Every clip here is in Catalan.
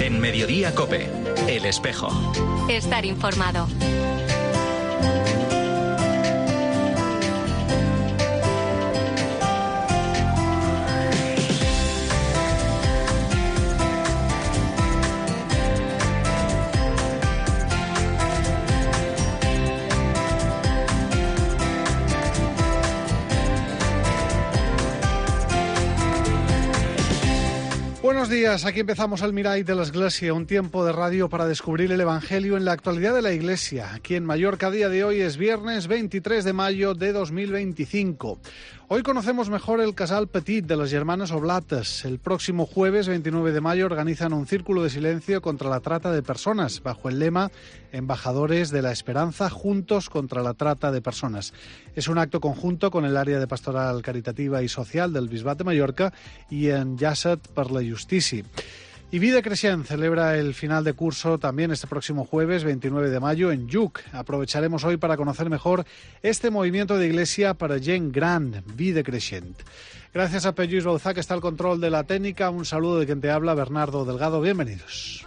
En Mediodía COPE, El Espejo. Estar informado. Buenos días, aquí empezamos el Mirai de la Iglesia, un tiempo de radio para descubrir el Evangelio en la actualidad de la Iglesia. Aquí en Mallorca, día de hoy es viernes 23 de mayo de 2025. Hoy conocemos mejor el Casal Petit de las Germanes Oblates. El próximo jueves 29 de mayo organizan un círculo de silencio contra la trata de personas, bajo el lema Embajadores de la Esperanza, juntos contra la trata de personas. Es un acto conjunto con el área de pastoral caritativa y social del Bisbat de Mallorca y en Llàtzer per la Justícia. Y Vida Creixent celebra el final de curso también este próximo jueves 29 de mayo en Lluc. Aprovecharemos hoy para conocer mejor este movimiento de iglesia para gent gran, Vida Creixent. Gracias a Pep Lluís Bauzá, que está al control de la técnica. Un saludo de quien te habla, Bernardo Delgado. Bienvenidos.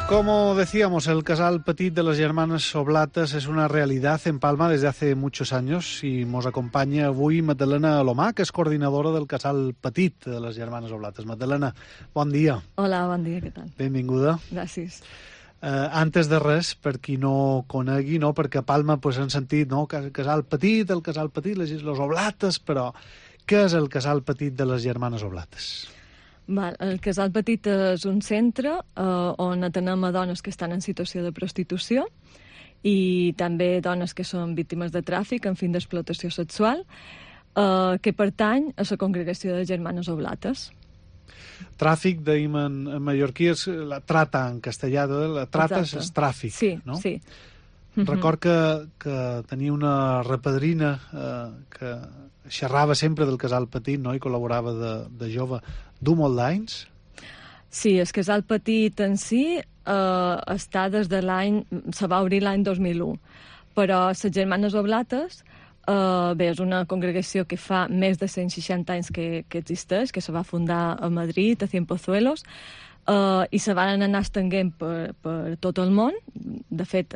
Como decíamos, el Casal Petit de las Germanes Oblates es una realidad en Palma desde hace muchos años y nos acompaña avui Magdalena Alomà, que és coordinadora del Casal Petit de les Germanes Oblates. Magdalena, bon dia. Hola, bon dia, què tal? Benvinguda. Gràcies. Antes de res, per qui no conegui, no? Perquè a Palma pues, han sentit el Casal Petit, les Oblates, però què és el Casal Petit de les Germanes Oblates? El Casal Petit és un centre on atenem a dones que estan en situació de prostitució i també dones que són víctimes de tràfic en fin d'explotació sexual, que pertany a la congregació de Germanes Oblates. Tràfic, dèiem en mallorquí, és la trata en castellà, la trata és tràfic, sí, no? Sí. Record que tenia una repadrina que xerrava sempre del Casal Petit, no? I col·laborava de jove. Du molt d'anys? Sí, el Casal Petit en si està des de se va obrir l'any 2001, però les Germanes Oblates és una congregació que fa més de 160 anys que existeix, que se va fundar a Madrid, a Cienpozuelos, i se van anar estenguent per tot el món. De fet,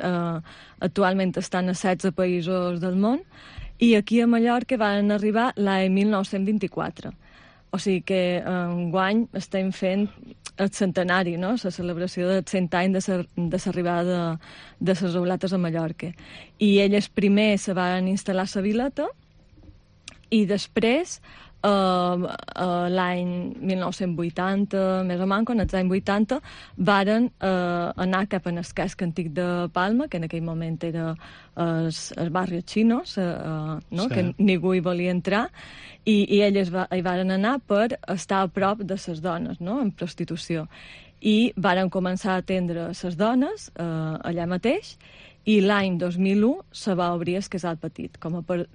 actualment estan a 16 països del món, i aquí a Mallorca van arribar l'any 1924. O sigui que enguany estem fent el centenari, no? La celebració dels 100 anys de l'arribada de les Oblates a Mallorca. I elles primer se van instal·lar a la Vileta i després, l'any 1980, més o menys, quan els anys 80, varen anar cap en el casc antic de Palma, que en aquell moment era el barri Chinos, no? Sí. Que ningú hi volia entrar, i elles hi varen anar per estar a prop de les dones, no? En prostitució. I varen començar a atendre les dones allà mateix, i l'any 2001 se va obrir el Casal Petit, com a per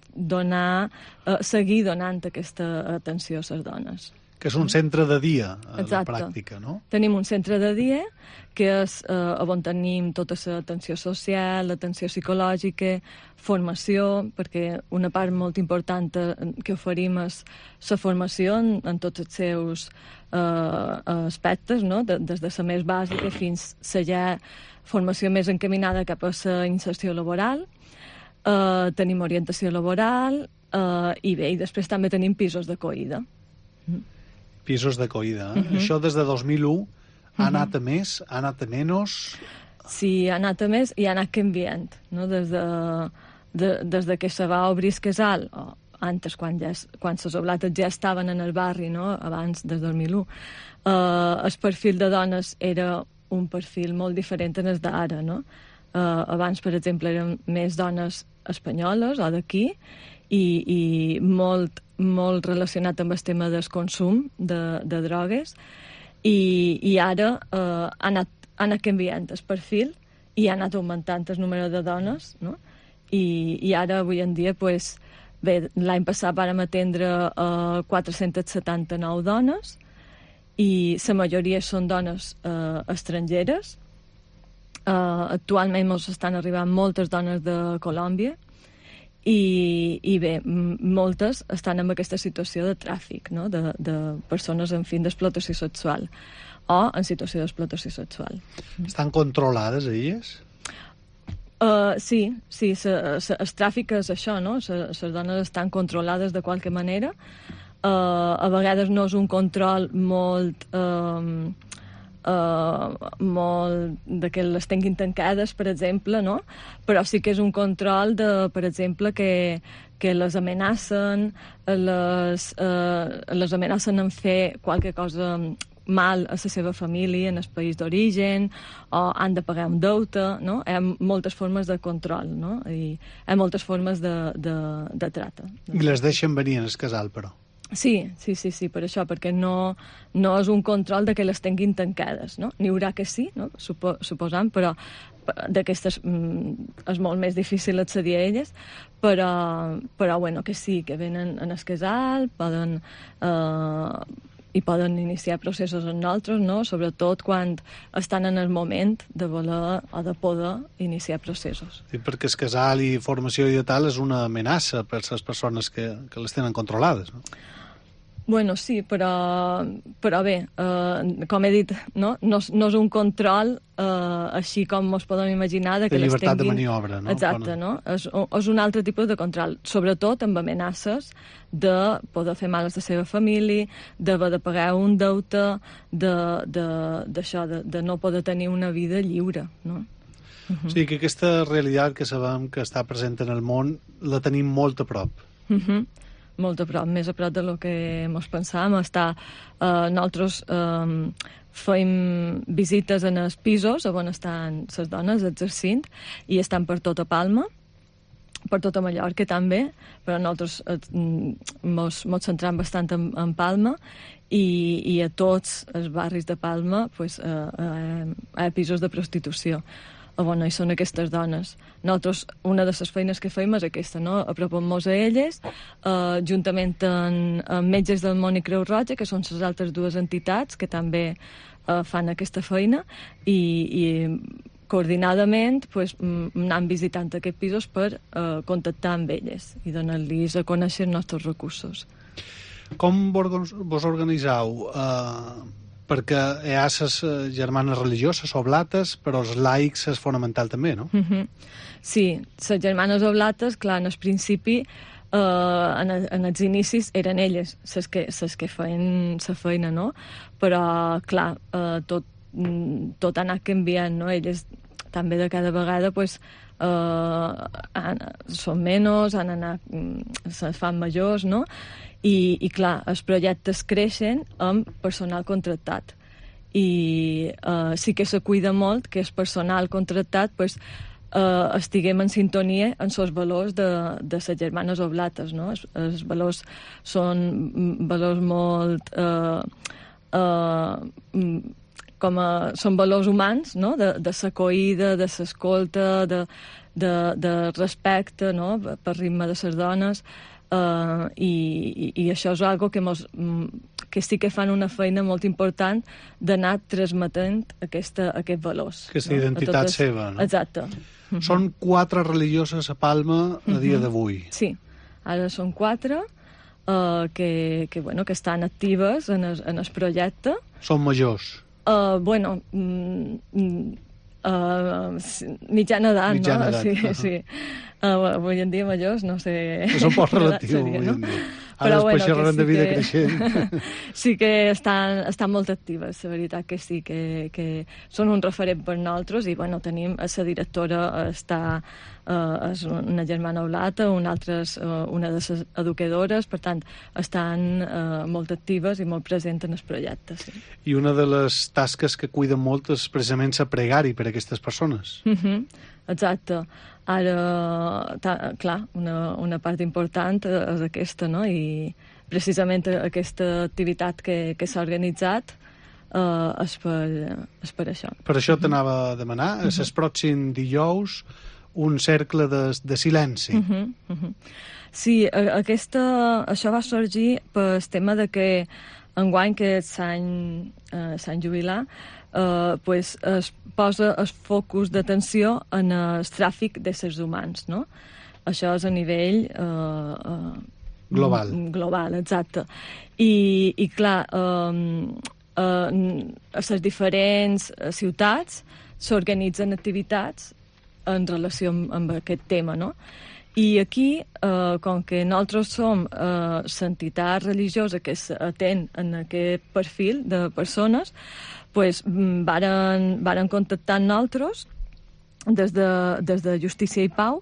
seguir donant aquesta atenció a les dones. Que és un centre de dia, a la Exacte. pràctica, no? Tenim un centre de dia, que és on tenim tota l'atenció social, l'atenció psicològica, formació, perquè una part molt important que oferim és la formació en tots els seus aspectes, no? Des de la més bàsica fins a ja formació més encaminada cap a la inserció laboral, tenim orientació laboral i bé, i després també tenim pisos d'acollida. Pisos d'acollida. Això des de 2001 ha anat a més, ha anat a menys? Sí, ha anat a més i ha anat canviant, no? Des de que se va obrir el casal, o antes, quan les Oblates ja estaven en el barri, no? Abans, des del 2001, el perfil de dones era un perfil molt diferent en el d'ara, no? Abans, per exemple, eren més dones espanyoles o d'aquí i molt relacionat amb el tema del consum de drogues, i ara ha anat canviant el perfil i ha anat augmentant el número de dones, no? I ara, avui en dia, pues, bé, l'any passat vàrem atendre 479 dones i la majoria són dones estrangeres. Actualment ens estan arribant moltes dones de Colòmbia i bé, moltes estan en aquesta situació de tràfic, no? de persones en fin d'explotació sexual o en situació d'explotació sexual. Estan controlades, elles? Sí, el tràfic és això, no? Les dones estan controlades de qualque manera. A vegades no és un control molt de que les tinguin tancades, per exemple, no? Però sí que és un control de, per exemple, que les amenacen, les amenacen en fer qualque cosa mal a la seva família en el país d'origen, o han de pagar un deute, no? Hi ha moltes formes de control, no? I hi ha moltes formes de trata. I les deixen venir en el casal, però? Sí, per això, perquè no és un control de que les tinguin tancades, no? N'hi haurà que sí, no? Suposant, però d'aquestes és molt més difícil accedir a elles, però bueno, que sí, que venen en el casal, i poden iniciar processos amb nosaltres, no? Sobretot quan estan en el moment de voler o de poder iniciar processos. Sí, perquè el casal i formació i tal és una amenaça per les persones que les tenen controlades, no? Bueno, sí, però bé, com he dit, no és un control així com ens podem imaginar de que les tinguin... De llibertat de maniobra, no? Exacte, no? És un altre tipus de control, sobretot amb amenaces de poder fer mal a la seva família, d'haver de pagar un deute, d'això, de no poder tenir una vida lliure, no? O sigui que aquesta realitat que sabem que està present en el món la tenim molt a prop. Molt a prop, més a prop de lo que ens pensàvem. Nosaltres fem visites en els pisos on estan les dones exercint i estan per tota Palma, per tota Mallorca també, però nosaltres ens centram bastant en Palma i a tots els barris de Palma pues, hi ha pisos de prostitució. Bueno, i són aquestes dones. Nosaltres, una de les feines que fem és aquesta, no? Apropem-nos a elles, juntament amb Metges del Món i Creu Roja, que són les altres dues entitats que també fan aquesta feina, i coordinadament pues, anant visitant aquests pisos per contactar amb elles i donar-los a conèixer els nostres recursos. Com vos organitzeu? Perquè hi ha les germanes religioses, oblates, però els laics és fonamental també, no? Sí, les germanes oblates, clar, en el principi, en els inicis, eren elles les que feien la feina, no? Però, clar, tot ha anat canviant, no? Elles també de cada vegada, pues, són menys, se fan majors, no? I clar, els projectes creixen amb personal contractat i sí que se cuida molt que el personal contractat pues, estiguem en sintonia amb els valors de les germanes oblates, no? Els valors són valors molt són valors humans, no? De l'acollida, de l'escolta, de respecte, no? Per ritme de les dones. I això és algo que sí que fan una feina molt important d'anar transmetent aquests valors. Aquesta identitat seva, no? Exacte. Són 4 religioses a Palma a dia d'avui. Sí, ara són 4 que estan actives en el projecte. Són majors? Mitjana edat, no? Sí. Avui en dia majors, no sé... És un poc relatiu, avui en dia. Ara després xerrarem de vida creixent. Sí que estan molt actives, la veritat que sí, que són un referent per nosaltres i, bueno, tenim la directora, és una germana oblata, una de les educadores, per tant, estan molt actives i molt presents en el projecte, sí. I una de les tasques que cuiden molt és precisament la pregari per a aquestes persones. Exacte. Ara, clar, una part important és aquesta, no? I precisament aquesta activitat que s'ha organitzat és per això. Per això t'anava a demanar, a el pròxim dijous, un cercle de silenci. Sí, això va sorgir pel tema de que enguany que s'any jubilar, pues es posa el focus d'atenció en el tràfic d'éssers humans, no? Això és a nivell global, exacte. I clar, a les diferents ciutats s'organitzen activitats en relació amb aquest tema, no? I aquí, com que nosaltres som l'entitat religiosa que s'atén en aquest perfil de persones, pues, varen contactar amb nosaltres des de Justícia i Pau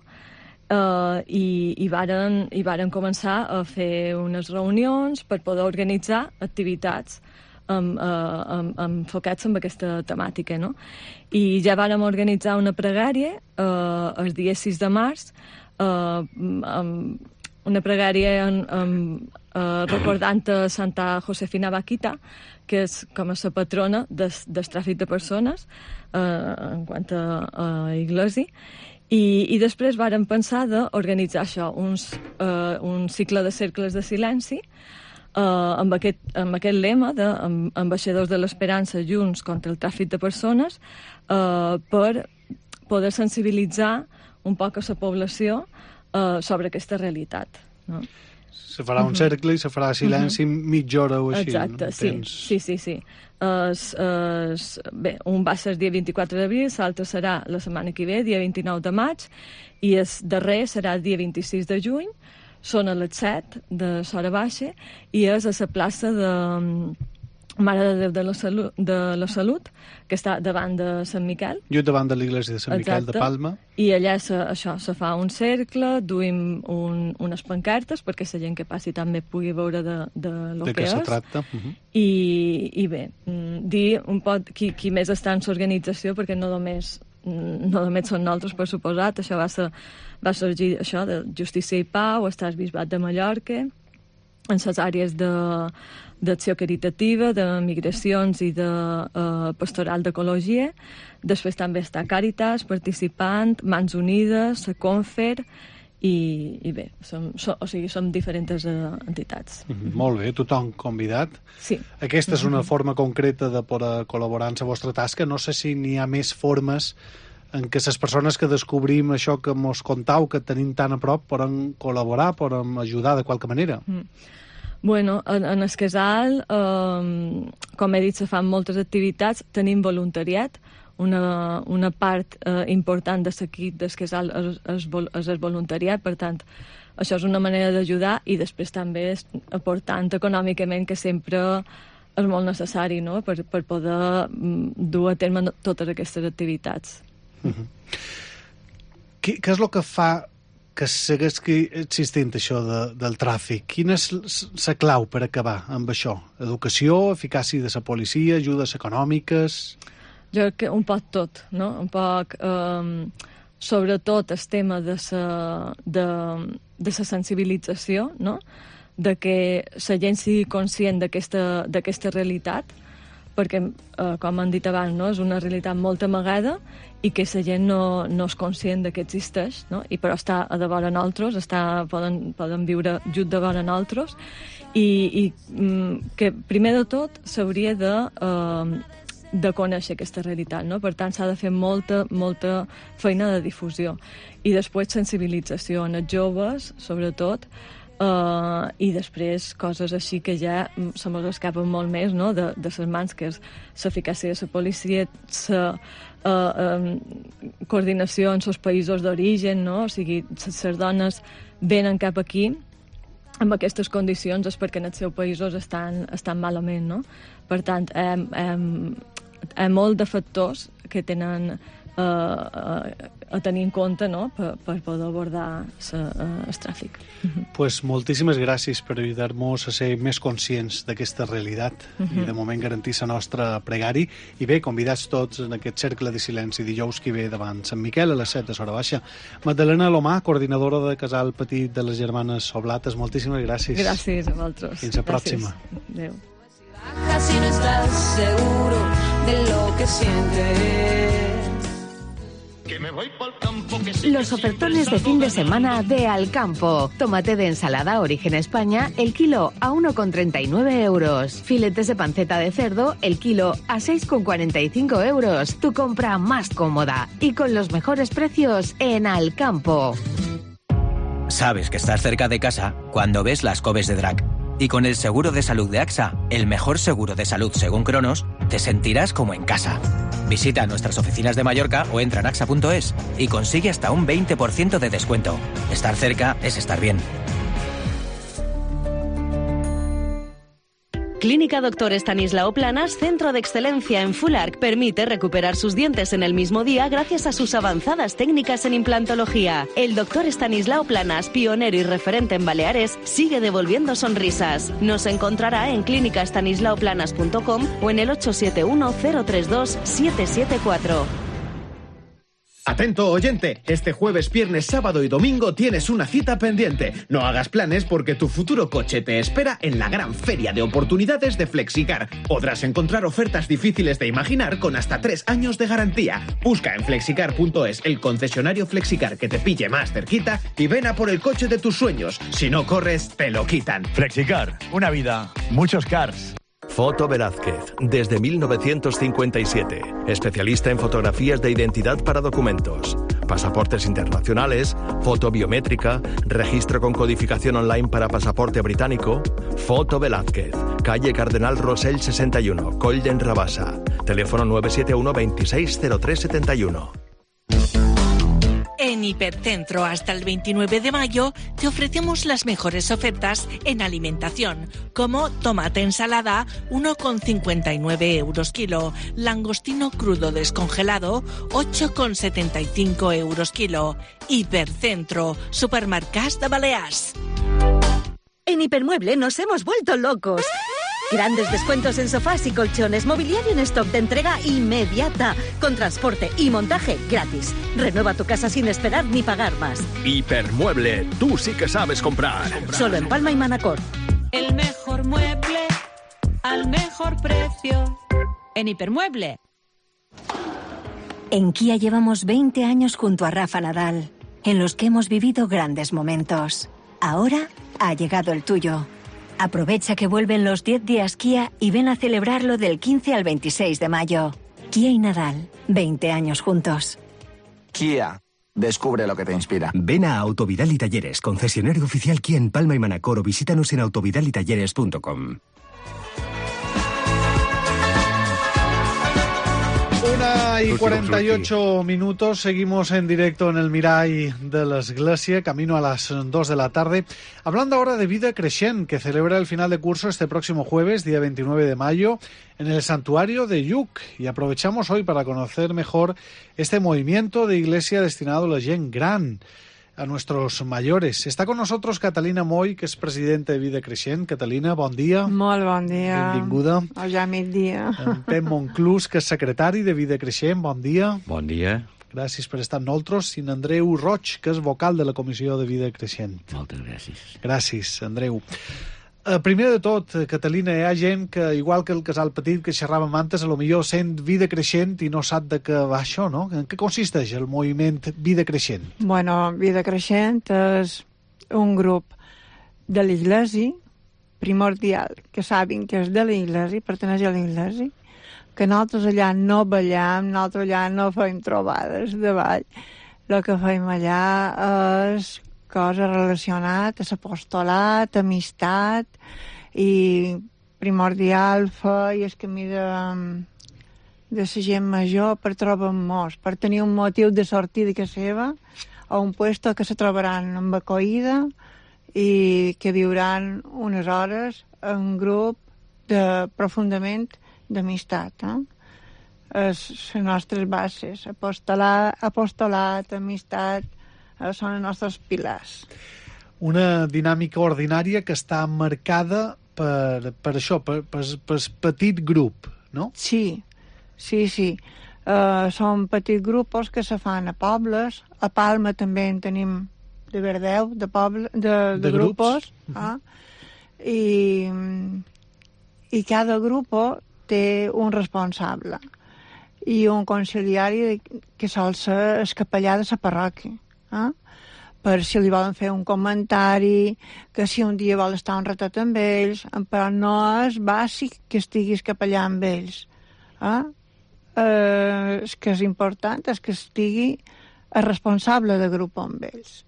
i varen començar a fer unes reunions per poder organitzar activitats enfocats en aquesta temàtica, no? I ja vàrem organitzar una pregària el dia 6 de març, una pregària recordant a Santa Josefina Vaquita, que és com a la patrona del tràfic de persones en quant a Iglesi, i després vàrem pensar d'organitzar això, un cicle de cercles de silenci amb aquest lema d'ambaixadors de l'esperança junts contra el tràfic de persones, per poder sensibilitzar un poc a la població sobre aquesta realitat, no? Se farà un cercle i se farà silenci mitja hora o així. Exacte, no? Sí. Bé, un va ser el dia 24 d'abril, l'altre serà la setmana que ve, dia 29 de maig, i el darrer serà el dia 26 de juny, són a les 7 de l'hora baixa, i és a la plaça de Mare de Déu de la Salut, que està davant de Sant Miquel. Just davant de l'església de Sant Miquel de Palma. I allà se fa un cercle, duim unes pancartes perquè la gent que passi també pugui veure de lo que és. De què se tracta. I bé, dir un poc qui més està en l'organització, perquè no només són nosaltres, per suposat. Això va sorgir això de Justícia i Pau, està el Bisbat de Mallorca, en les àrees d'acció caritativa, de migracions i de pastoral d'ecologia. Després també està Càritas, Participant, Mans Unides, la Confer, i bé, som diferents entitats. Molt bé, tothom convidat. Sí. Aquesta és una forma concreta de poder col·laborar en la vostra tasca. No sé si n'hi ha més formes en què les persones que descobrim això que mos contau, que tenim tan a prop, poden col·laborar, poden ajudar de qualque manera. Bueno, en el casal, com he dit, se fan moltes activitats, tenim voluntariat, una part important de l'equip del casal és el voluntariat, per tant, això és una manera d'ajudar, i després també aportant econòmicament, que sempre és molt necessari, no?, per poder dur a terme totes aquestes activitats. Què és el que fa que segueixi existint això del tràfic? Quina és la clau per acabar amb això? Educació, eficàcia de la policia, ajudes econòmiques? Jo crec que un poc tot, no? Un poc, sobretot el tema de la sensibilització, no? De que la gent sigui conscient d'aquesta realitat, perquè, com han dit abans, no? És una realitat molt amagada i que la gent no és conscient que existeix, no? I però està a davant nosaltres, poden viure just davant nosaltres, i que primer de tot s'hauria de conèixer aquesta realitat, no? Per tant, s'ha de fer molta feina de difusió, i després sensibilització en els joves, sobretot, i després coses així que ja se mos escapen molt més, no?, de les mans, que és l'eficàcia de la policia, la coordinació en els països d'origen, no? O sigui, les dones venen cap aquí amb aquestes condicions és perquè en els seus països estan malament, no? Per tant, hi ha molt de factors que tenen a tenir en compte, no?, per poder abordar el tràfic. Pues moltíssimes gràcies per ajudar-nos a ser més conscients d'aquesta realitat i de moment garantir la nostra pregari. I bé, convidats tots en aquest cercle de silenci dijous que ve davant Sant Miquel a les 7 de l'hora baixa. Magdalena Lomà, coordinadora de Casal Petit de les Germanes Oblates, moltíssimes gràcies. Gràcies a vosaltres. Fins la pròxima. Adéu. Si no estás seguro que sientes. Los ofertones de fin de semana de Alcampo. Tomate de ensalada Origen España, el kilo a 1,39 euros. Filetes de panceta de cerdo, el kilo a 6,45 euros. Tu compra más cómoda y con los mejores precios en Alcampo. Sabes que estás cerca de casa cuando ves las Coves de Drac. Y con el seguro de salud de AXA, el mejor seguro de salud según Cronos, te sentirás como en casa. Visita nuestras oficinas de Mallorca o entra en axa.es y consigue hasta un 20% de descuento. Estar cerca es estar bien. Clínica Dr. Estanislao Planas, centro de excelencia en Full Arch, permite recuperar sus dientes en el mismo día gracias a sus avanzadas técnicas en implantología. El Dr. Estanislao Planas, pionero y referente en Baleares, sigue devolviendo sonrisas. Nos encontrará en clínicaestanislaoplanas.com o en el 871 032 774. Atento oyente, este jueves, viernes, sábado y domingo tienes una cita pendiente. No hagas planes porque tu futuro coche te espera en la gran feria de oportunidades de Flexicar. Podrás encontrar ofertas difíciles de imaginar con hasta 3 años de garantía. Busca en flexicar.es el concesionario Flexicar que te pille más cerquita y ven a por el coche de tus sueños. Si no corres, te lo quitan. Flexicar, una vida, muchos cars. Foto Velázquez, desde 1957. Especialista en fotografías de identidad para documentos, pasaportes internacionales, foto biométrica, registro con codificación online para pasaporte británico. Foto Velázquez, calle Cardenal Rosell 61, Coll d'en Rabassa. Teléfono 971 26 03 71. En Hipercentro hasta el 29 de mayo te ofrecemos las mejores ofertas en alimentación, como tomate ensalada 1,59 euros kilo, langostino crudo descongelado 8,75 euros kilo. Hipercentro, supermercats de Balears. En Hipermueble nos hemos vuelto locos. Grandes descuentos en sofás y colchones, mobiliario en stock de entrega inmediata, con transporte y montaje gratis. Renueva tu casa sin esperar ni pagar más. Hipermueble, tú sí que sabes comprar. Solo en Palma y Manacor. El mejor mueble al mejor precio. En Hipermueble. En Kia llevamos 20 años junto a Rafa Nadal, en los que hemos vivido grandes momentos. Ahora ha llegado el tuyo. Aprovecha que vuelven los 10 días Kia y ven a celebrarlo del 15 al 26 de mayo. Kia y Nadal, 20 años juntos. Kia, descubre lo que te inspira. Ven a Autovidal y Talleres, concesionario oficial Kia en Palma y Manacor, o visítanos en autovidalitalleres.com. 1:48, seguimos en directo en el Mirall de l'Església, camino a las 2 de la tarde, hablando ahora de Vida Creixent, que celebra el final de curso este próximo jueves, día 29 de mayo, en el santuario de Lluc, y aprovechamos hoy para conocer mejor este movimiento de iglesia destinado a la gent gran, a nuestros mayores. Está con nosotros Catalina Moy, que és presidenta de Vida Creixent. Catalina, bon dia. Molt bon dia. Benvinguda. O ja migdia. En Pep Monclús, que és secretari de Vida Creixent. Bon dia. Bon dia. Gràcies per estar amb nosaltres. I en Andreu Roig, que és vocal de la Comissió de Vida Creixent. Moltes gràcies. Gràcies, Andreu. Primer de tot, Catalina, hi ha gent que, igual que el casal petit que xerràvem antes, a lo millor sent Vida Creixent i no sap de què va això, no? En què consisteix el moviment Vida Creixent? Bueno, Vida Creixent és un grup de l'Iglesi primordial, que sabin que és de l'Iglesi, perteneix a l'Iglesi, que nosaltres allà no ballem, nosaltres allà no fem trobades de ball. El que fem allà és coses relacionades a l'apostolat, amistat, i primordial fer el camí de la gent major per trobar-nos, per tenir un motiu de sortir de casa seva a un puesto que se trobaran amb acollida i que viuran unes hores en grup profundament d'amistat. Les nostres bases, apostolat, amistat, són els nostres pilars. Una dinàmica ordinària que està marcada per això, per petit grup, no? Sí. Són petits grups que se fan a pobles. A Palma també en tenim de verdeu, de grups. I cada grup té un responsable. i un conciliari que sol ser el capellà de la parròquia, per si li volen fer un comentari, que si un dia vol estar un ratet amb ells, però no és bàsic que estiguis capellà amb ells. El que és important és que estigui el responsable de grup amb ells.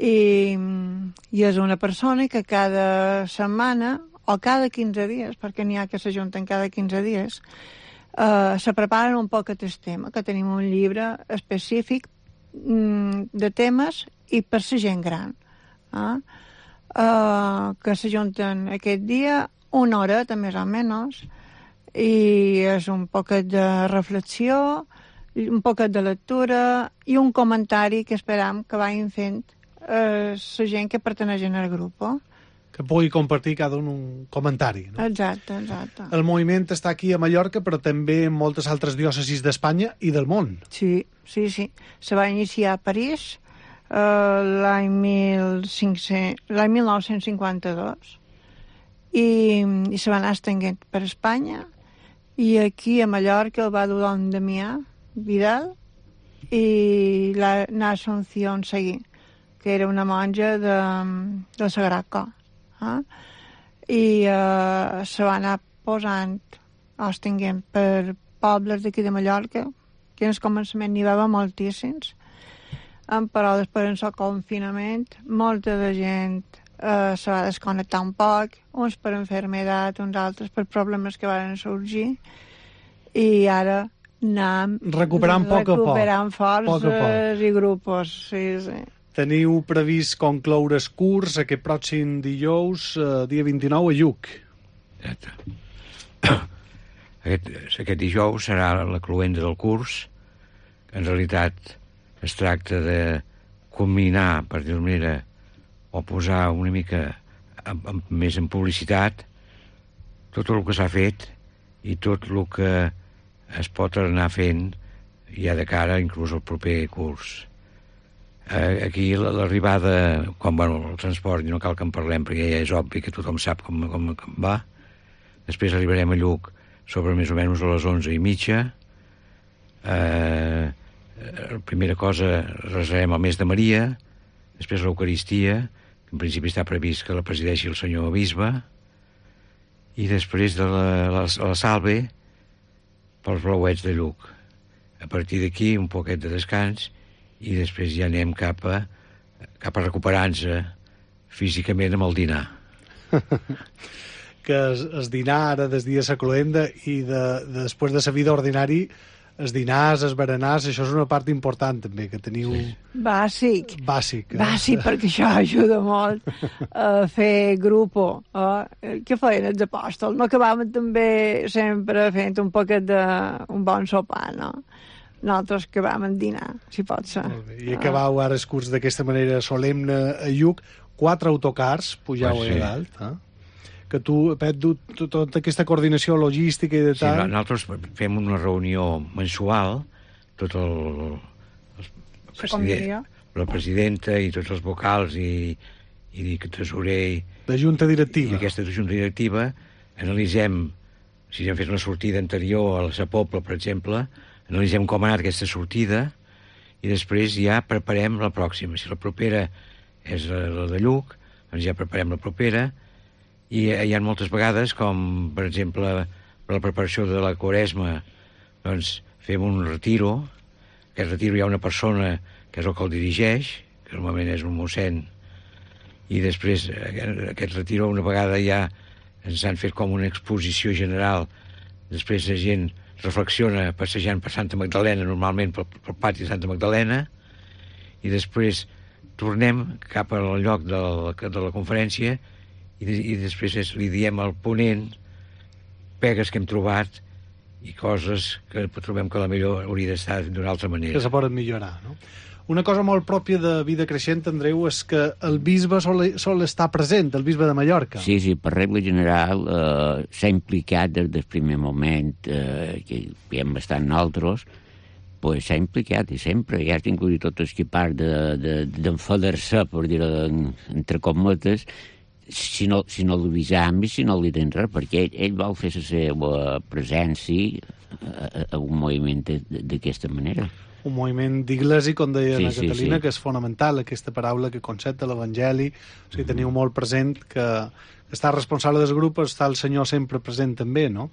I és una persona que cada setmana, o cada 15 dies, perquè n'hi ha que s'ajunten cada 15 dies, se preparen un poc aquest tema, que tenim un llibre específic de temes i per la gent gran, que s'ajunten aquest dia una horeta més o menys, i és un poquet de reflexió, un poquet de lectura i un comentari que esperam que vagin fent la gent que perteneix al grup. Que pugui compartir cada un comentari. No? Exacte. El moviment està aquí a Mallorca, però també en moltes altres diòcesis d'Espanya i del món. Sí. Se va iniciar a París l'any 1952 i se va anar estenguent per Espanya, i aquí a Mallorca el va dur don Damià Vidal i l'Assumpción Seguí, que era una monja del Sagrat Cor. I se va anar posant estenguent per pobles d'aquí de Mallorca, que en el començament n'hi va haver moltíssims, però després en el confinament molta de gent se va desconnectar un poc, uns per enfermedat, uns altres per problemes que van sorgir, i ara anem recuperant forces i grupos. Sí. Teniu previst concloure el curs aquest pròxim dijous, dia 29, a Lluc. Aquest dijous serà la cloenda del curs. En realitat es tracta de combinar, per dir-ho manera, o posar una mica més en publicitat tot el que s'ha fet i tot el que es pot anar fent ja de cara inclús al proper curs. Aquí l'arribada, quan el transport, no cal que en parlem perquè ja és obvi que tothom sap com va. Després arribarem a Lluc sobre més o menys a les 11:30. La primera cosa, rezarem el Mes de Maria, després l'Eucaristia, que en principi està previst que la presideixi el senyor bisbe, i després de la Salve pels blauets de Lluc. A partir d'aquí un poquet de descans i després ja anem cap a recuperar-nos físicament amb el dinar. Que el dinar ara des dia la cloenda i després de la vida ordinari, els dinars, els berenars, això és una part important també, que teniu... Bàsic, perquè això ajuda molt a fer grupo. Què feien els apòstols? No acabàvem també sempre fent un poquet d'un bon sopar, no? Nosaltres acabàvem en dinar, si pot ser. I acabau ara el curs d'aquesta manera solemne a Lluc, 4 autocars, pujau a dalt, que tu, Pep, tota aquesta coordinació logística i de tal... Sí, nosaltres fem una reunió mensual, tot la presidenta i tots els vocals i tresorer... La junta directiva. I aquesta junta directiva analitzem, si hem fet una sortida anterior a la Pobla, per exemple, analitzem com ha anat aquesta sortida i després ja preparem la pròxima. Si la propera és la de Lluc, doncs ja preparem la propera. I hi ha moltes vegades, com per exemple per la preparació de la Quaresma, doncs fem un retiro. Aquest retiro hi ha una persona que és el que el dirigeix, que normalment és un mossèn, i després aquest retiro una vegada ja ens han fet com una exposició general. Després la gent reflexiona passejant per Santa Magdalena, normalment pel pati de Santa Magdalena, i després tornem cap al lloc de la conferència i després li diem al ponent pegues que hem trobat i coses que trobem que la millor hauria d'estar d'una altra manera. Que se poden millorar, no? Una cosa molt pròpia de Vida Creixent, Andreu, és que el bisbe sol estar present, el bisbe de Mallorca. Sí, per regla general s'ha implicat des del primer moment, que hem estat nosaltres, pues s'ha implicat i sempre, ja ha tingut tot el que part d'enfadar-se, per dir-ho entre cometes, si no l'avisam i si no li tens res, perquè ell vol fer la seva presència a un moviment d'aquesta manera. Un moviment d'Iglesi, com deia la Catalina, sí. que és fonamental, aquesta paraula, que concepte l'Evangeli. O sigui, teniu molt present que està responsable del grup, està el Senyor sempre present també, no?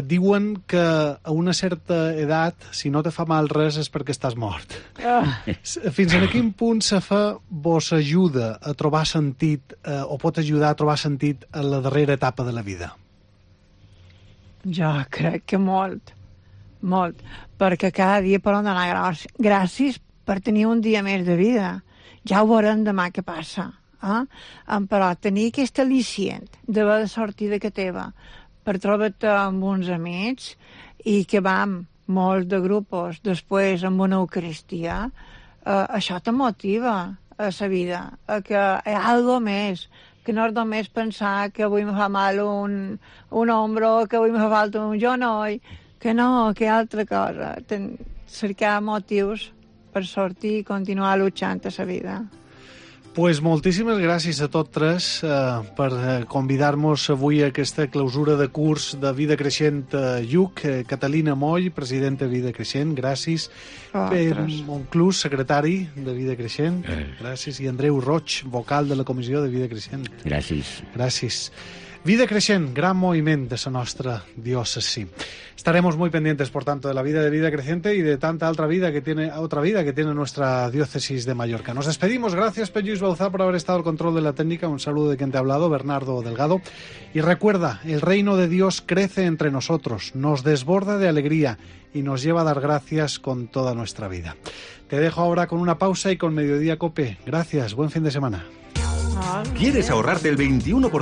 Diuen que a una certa edat, si no te fa mal res, és perquè estàs mort. Fins a quin punt la fe vos ajuda a trobar sentit, o pot ajudar a trobar sentit a la darrera etapa de la vida? Jo crec que molt, perquè cada dia podem donar gràcies per tenir un dia més de vida. Ja ho veurem demà què passa. Però tenir aquest al·licient d'haver de sortir de casa teva per trobar-te amb uns amics i que vam molts de grupos després amb una eucaristia, això te motiva a la vida, a que hi ha alguna més, que no és només pensar que avui me fa mal un ombro, que avui me fa falta un genoll, que no, que hi ha altra cosa. Cercar motius per sortir i continuar luchant a la vida. Pues moltíssimes gràcies a tots tres per convidar-nos avui a aquesta clausura de curs de Vida Creixent Lluc. Catalina Moll, presidenta de Vida Creixent, gràcies. Monclús, secretari de Vida Creixent, gràcies. I Andreu Roig, vocal de la Comissió de Vida Creixent. Gràcies. Vida Creixent, gran moviment de la nostra diócesis. Estaremos muy pendientes, por tanto, de la vida de Vida Creciente y de tanta otra vida que tiene nuestra diócesis de Mallorca. Nos despedimos. Gracias, Lluís Bauzá, por haber estado al control de la técnica. Un saludo de quien te ha hablado, Bernardo Delgado. Y recuerda, el reino de Dios crece entre nosotros, nos desborda de alegría y nos lleva a dar gracias con toda nuestra vida. Te dejo ahora con una pausa y con Mediodía Cope. Gracias, buen fin de semana. ¿Quieres ahorrarte el 21%